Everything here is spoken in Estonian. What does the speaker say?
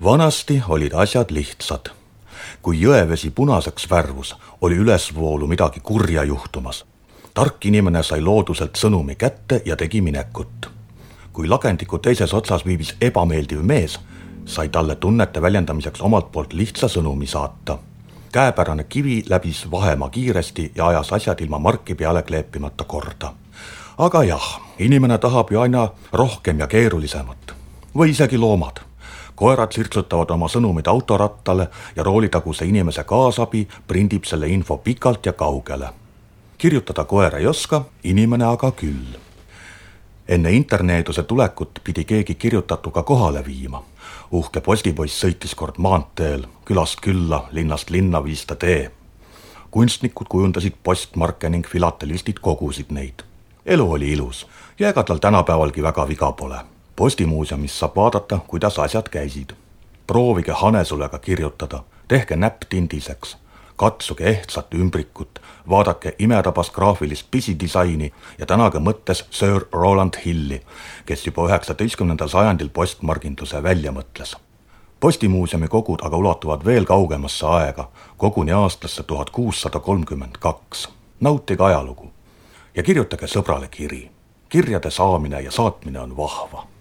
Vanasti olid asjad lihtsad. Kui jõevesi punaseks värvus, oli ülesvoolu midagi kurja juhtumas. Tark inimene sai looduselt sõnumi kätte ja tegi minekut. Kui lagendiku teises otsas viibis ebameeldiv mees, sai talle tunnete väljendamiseks omalt poolt lihtsa sõnumi saata. Käepärane kivi läbis vahemaa kiiresti ja ajas asjad ilma marki peale kleepimata korda. Aga jah, inimene tahab ju aina rohkem ja keerulisemat. Või isegi loomad. Koerad sirtsutavad oma sõnumid autorattale ja roolitaguse inimese kaasabi prindib selle info pikalt ja kaugele. Kirjutada koer ei oska, inimene aga küll. Enne interneeduse tulekut pidi keegi kirjutatuga kohale viima. Uhke postipoiss sõitis kord maanteel, külast külla, linnast linna viis ta tee. Kunstnikud kujundasid postmarke ning filatelistid kogusid neid. Elu oli ilus ja ega tal tänapäevalgi väga viga pole. Postimuuseumis saab vaadata, kuidas asjad käisid. Proovige hanesulega kirjutada, tehke näpp tindiseks, katsuge ehtsat ümbrikut, vaadake imetabas graafilist pisidisaini ja tänage mõttes Sir Rowland Hilli, kes juba 19. sajandil postmarginduse välja mõtles. Postimuuseumi kogud aga ulatuvad veel kaugemasse aega, koguni aastasse 1632. Nautige ajalugu ja kirjutage sõbrale kiri. Kirjade saamine ja saatmine on vahva.